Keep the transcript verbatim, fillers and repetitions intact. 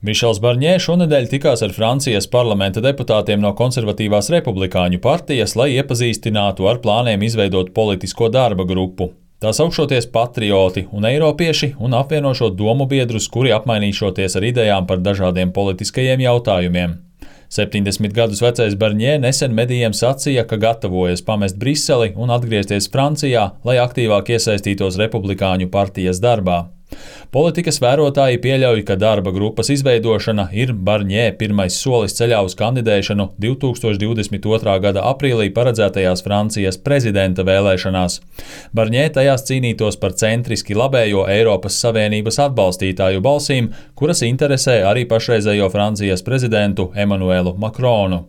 Mišels Barņē šonedēļ tikās ar Francijas parlamenta deputātiem no konservatīvās republikāņu partijas, lai iepazīstinātu ar plāniem izveidot politisko darba grupu. Tā saukšoties Patrioti un Eiropieši un apvienošot domu biedrus, kuri apmainīšoties ar idejām par dažādiem politiskajiem jautājumiem. septiņdesmit gadus vecais Barņē nesen medijiem sacīja, ka gatavojas pamest Briseli un atgriezties Francijā, lai aktīvāk iesaistītos republikāņu partijas darbā. Politikas vērotāji pieļauj, ka darba grupas izveidošana ir Barņē pirmais solis ceļā uz kandidēšanu divtūkstoš divdesmit otrā gada aprīlī paredzētajās Francijas prezidenta vēlēšanās. Barņē tajās cīnītos par centriski labējo Eiropas Savienības atbalstītāju balsīm, kuras interesē arī pašreizējo Francijas prezidentu Emanuelu Makronu.